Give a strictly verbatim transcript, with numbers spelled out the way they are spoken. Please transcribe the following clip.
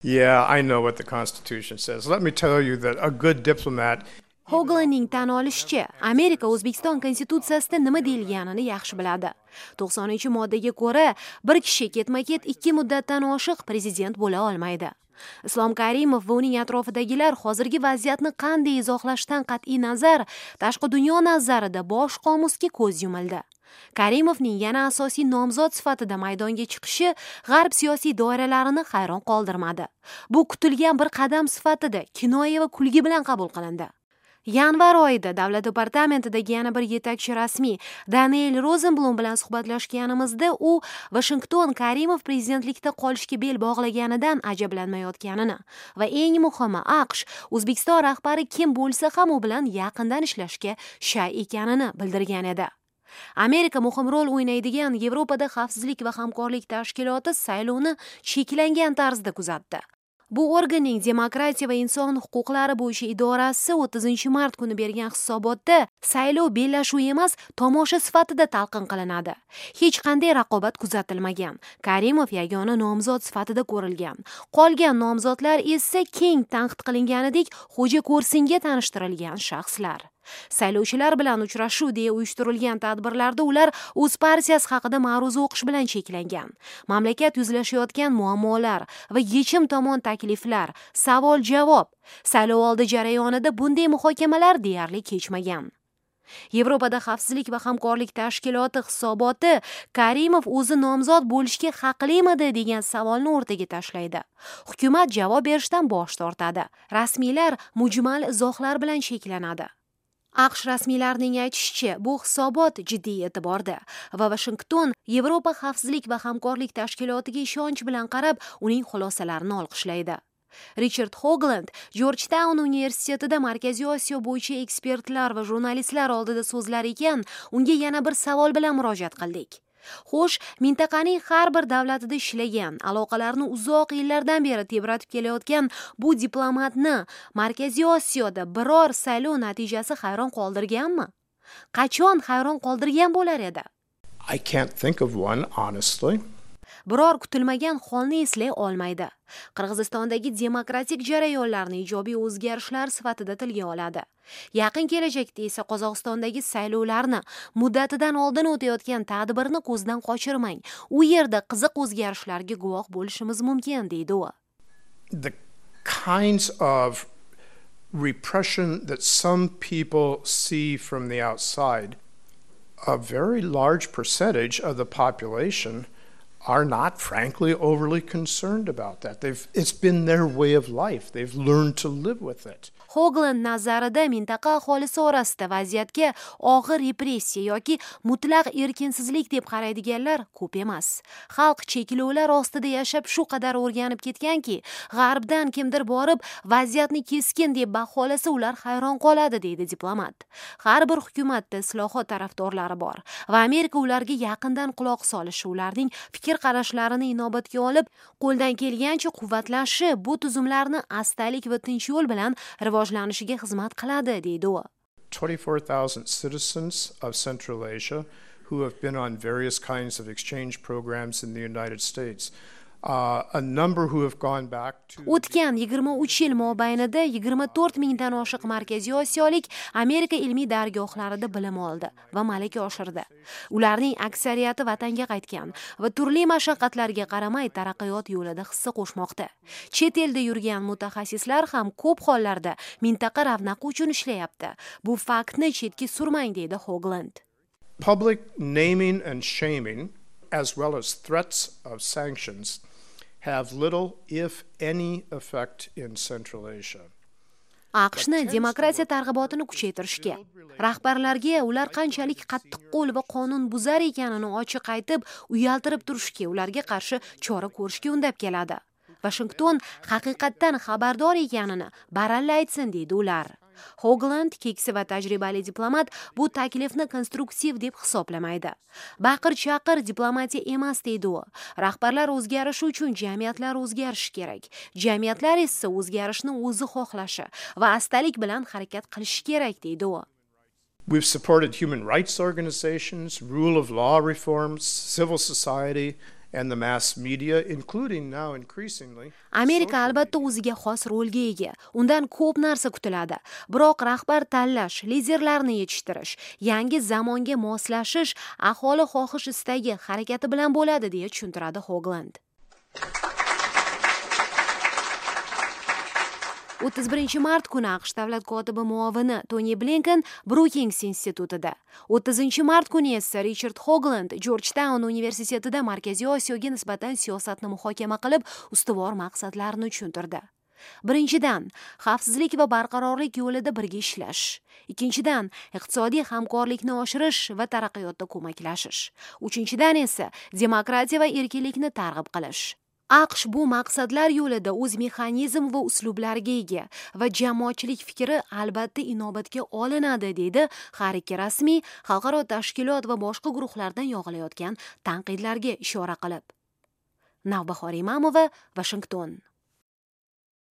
Yeah, I know what the Constitution says. Let me tell you that a good diplomat Hoglandning tan olishicha, Amerika O'zbekiston konstitutsiyasida nima deyilganini yaxshi biladi. to'qsoninchi moddaga ko'ra, bir kishi ketma-ket ikki muddatdan oshiq prezident bo'la olmaydi. Islom Karimov va uning atrofidagilar hozirgi vaziyatni qanday izohlashdan qat'iy nazar, tashqi dunyo nazarida bosh qomusga ko'z yumildi. Karimovning yana asosiy nomzod sifatida maydonga chiqishi g'arb siyosiy doiralarini hayron qoldirmadi. Bu kutilgan bir qadam sifatida kinoya va kulgi bilan qabul qilindi. Yanvar oyida Davlat departamentidagi yana bir yetakchi rasmiy Daniel Rozenblum bilan suhbatlashganimizda u Vashington Karimov prezidentlikda qolishga bel bog'laganidan ajablanmayotganini va eng muhimi, A Q Sh O'zbekiston rahbari kim bo'lsa ham u bilan yaqindan ishlashga shay ekanini bildirgan edi. Amerika muhim rol o'ynaydigan Yevropada xavfsizlik va hamkorlik tashkiloti saylovni cheklangan tarzda kuzatdi. Bu organning demokratiya va inson huquqlari bo'yicha idorasi o'ttizinchi mart kuni bergan hisobotda saylov bellashuv emas, tomosha sifatida talqin qilinadi. Hech qanday raqobat kuzatilmagan. Karimov yagona nomzod sifatida ko'rilgan. Qolgan nomzodlar esa keng tanqid qilinganidek xo'ja ko'rsinga tanishtirilgan shaxslar. Saylovchilar bilan uchrashuv deya uyushtirilgan tadbirlarda ular o'z partiyasi haqida ma'ruza o'qish bilan cheklangan. Mamlakat yuzlashayotgan muammolar va yechim tomon takliflar, savol-javob, saylovoldi jarayonida bunday muhokamalar deyarli kechmagan. Yevropada xavfsizlik va hamkorlik tashkiloti hisoboti Karimov o'zi nomzod bo'lishga haqlimidi degan savolni o'rtaga tashlaydi. Hukumat javob berishdan bosh tortadi. Rasmiylar mujmal izohlar bilan cheklanadi. A Q Sh rasmiylarining aytishicha, bu hisobot jiddiy e'tiborda va Vashington Yevropa xavfsizlik va hamkorlik tashkilotiga ishonch bilan qarab, uning xulosalarini olqishlaydi. Richard Hogland Jorjtaun universitetida Markaziy Osiyo bo'yicha ekspertlar va jurnalistlar oldida so'zlar ekan, unga yana bir savol bilan murojaat qildik. Xo'sh, mintaqaning har bir davlatida ishlagan, aloqalarni uzoq yillardan beri tebratib kelayotgan bu diplomatni Markaziy Osiyoda biror saylov natijasi hayron qoldirganmi? Qachon hayron qoldirgan bo'lar edi? I can't think of one, honestly. Biror kutilmagan holni eslay olmaydi. Qirg'izistondagi demokratik jarayonlarni ijobiy o'zgarishlar sifatida tilga oladi. Yaqin kelajakda esa Qozog'istondagi saylovlarni, muddatidan oldin o'tayotgan tadbirni ko'zdan qochirmang. U yerda qiziq o'zgarishlarga guvoh bo'lishimiz mumkin, deydi u. The kinds of repression that some people see from the outside, a very large percentage of the population are not, frankly, overly concerned about that. They've, it's been their way of life. They've learned to live with it. Hogland nazarida mintaqa aholisi orasida vaziyatga og'ir repressiya yoki mutlaq erkinsizlik deb qaraydiganlar ko'p emas. Xalq cheklovlar ostida yashab shu qadar o'rganib ketganki, g'arbdan kimdir borib vaziyatni keskin deb baholasa, ular hayron qoladi, deydi diplomat. Har bir hukumatda islohot tarafdorlari bor va Amerika ularga yaqindan quloq solishi, ularning fikr qarashlarini inobatga olib, qo'ldan kelgancha quvvatlashi bu tuzumlarni astalik va tinch yo'l bilan rivojlanishiga xizmat qiladi, deydi u. twenty-four thousand citizens of Central Asia who have been on various kinds of exchange programs in the United States. Uh, a number who have gone back to O'tgan yigirma uch yil mobaynida yigirma to'rt mingdan oshiq markaziy osiyolik Amerika ilmiy dargohlarida bilim oldi va malaka oshirdi. Ularning aksariyati vatanga qaytgan va turli mashaqqatlarga qaramay taraqqiyot yo'lida hissa qo'shmoqda. Chet elda yurgan mutaxassislar ham ko'p hollarda mintaqa ravnaqi uchun ishlayapti. Bu faktni chetga surmang, deydi Hogland. Public naming and shaming, as well as threats of sanctions, have little, if any, effect in Central Asia. A Q Shni demokratiya targ'ibotini kuchaytirishga, rahbarlarga ular qanchalik qattiqqo'l va qonunbuzar ekanini ochiq aytib, uyaltirib turishga, ularga qarshi chora ko'rishga undab keladi. Vashington haqiqatdan xabardor ekanini baralla aytsin, deydi ular. Hogland, keksa va tajribali diplomat, bu taklifni konstruktiv deb hisoblamaydi. Baqir chaqir diplomatiya emas, deydi u. Rahbarlar o'zgarishi uchun jamiyatlar o'zgarishi kerak. Jamiyatlar esa o'zgarishni o'zi xohlashi va astalik bilan harakat qilishi kerak, deydi u. We've supported human rights organizations, rule of law reforms, civil society, and the mass media, including now increasingly. Amerika albatta o'ziga xos rolga ega. Undan ko'p narsa kutiladi. Biroq rahbar tanlash, liderlarni yetishtirish, yangi zamonga moslashish aholi xohish istagi harakati bilan bo'ladi, deya tushuntiradi Hogland. o'ttiz birinchi mart kuni AQSh davlat kotibi muovini Toni Blinken Brookings institutida, o'ttizinchi mart kuni esa Richard Hogland Georgetown universitetida Markaziy Osiyoga nisbatan siyosatni muhokama qilib, ustuvor maqsadlarni tushuntirdi. Birinchidan, xavfsizlik va barqarorlik yo'lida birga ishlash. Ikkinchidan, iqtisodiy hamkorlikni oshirish va taraqqiyotda ko'maklashish. Uchinchidan esa demokratiya va erkinlikni targ'ib qilish. AQSh bu maqsadlar yo'lida o'z mexanizm va uslublariga ega va jamoatchilik fikri albatta inobatga olinadi, deydi har ikki rasmiy, xalqaro tashkilot va boshqa guruhlardan yog'ilayotgan tanqidlarga ishora qilib. Navbahor Imamova, Washington.